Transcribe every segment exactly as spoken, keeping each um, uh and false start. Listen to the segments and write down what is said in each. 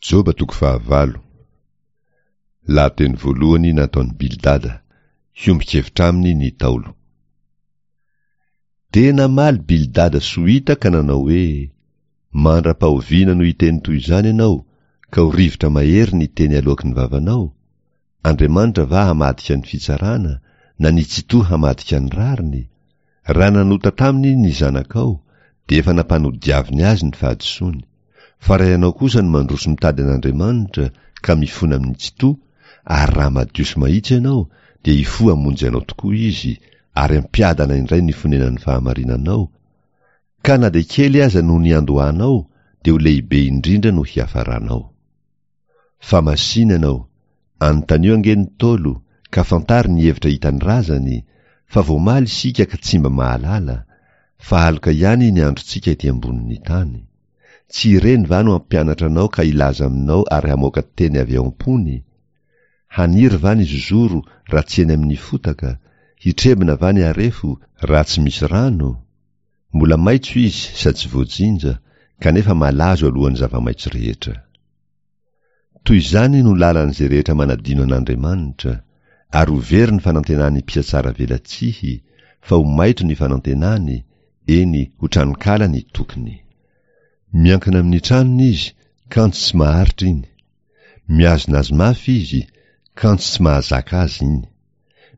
Joba toko fahavalo. Lahateny voalohany nataon'i Bildada, hiombon-kevitra aminy ny Ntaolo. Dia namaly Bildada Sohita ka nanao hoe: Mandra-pahoviana no hiteny toy izany ianao, ka ho rivotra mahery ny teny aloaky ny vavanao? Andriamanitra va hamadika ny fitsarana, na ny Tsitoha hamadika ny rariny? Raha nanota taminy ny zanakao, dia efa nampanodiaviny azy ny fahadisoany. Fa raha ianao kosa no mandroso mitady an'Andriamanitra ka mifona amin'ny Tsitoha, ary raha madio sy mahitsy ianao, dia hifoha hamonjy anao tokoa Izy, ary hampiadana indray ny fonenan'ny fahamarinanao, ka na dia kely aza no niandohanao, dia ho lehibe indrindra no hiafaranao. Fa masìna ianao, anontanio ange ny Ntaolo, ka fantaro ny hevitra hitan'ny razany, fa voamaly isika ka tsy mba mahalala, fa aloka ihany ny androntsika ety ambonin'ny tany. Tsy ireny va no hampianatra anao ka hilaza aminao ary hamoaka teny avy ao am-pony? Haniry va ny zozoro raha tsy eny amin'ny fotaka? Hitrebona va ny harefo raha tsy misy rano? Mbola maitso izy sady tsy voajinja, kanefa malazo alohan'ny zava-maitso rehetra. Toy izany no lalan'izay rehetra manadino an'Andriamanitra, ary ho very ny fanantenan'ny mpihatsara velatsihy, fa ho maitso ny fanantenany, eny, ho tranonkala ny tokiny. Miankina amin'ny tranony izy, kanjo tsy maharitra iny. Mihazona azy mafy izy, kanjo tsy mahazaka azy iny.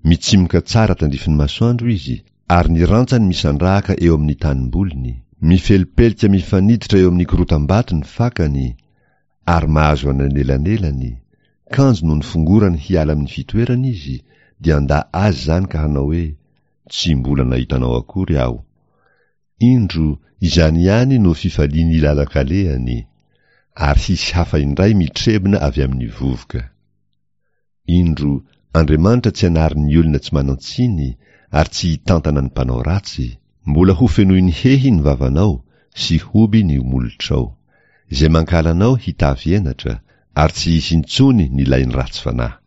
Mitsimoka tsara tandrifin'ny masoandro izy, ary ny rantsany misandrahaka eo amin'ny tanimboliny. Mifelipelika mifaniditra eo amin'ny korotam-bato ny fakany, ary mahazo anelanelany, kanjo nony fongorany hiala amin'ny fitoerany izy, dia handà azy izany ka hanao hoe, Tsy mbola nahita anao akory aho. Indro, izany ihany no fifalian'ny lalan-kalehany, ary hisy hafa indray mitrebona avy amin'ny vovoka. Indro, Andriamanitra tsy hanary ny olona tsy manan-tsiny, ary tsy hitantana ny mpanao ratsy. Mbola hofenoiny hehy ny vavanao, sy hoby ny molotrao. Izay mankahala anao hitafy henatra, ary tsy hisy intsony ny lain'ny ratsy fanahy.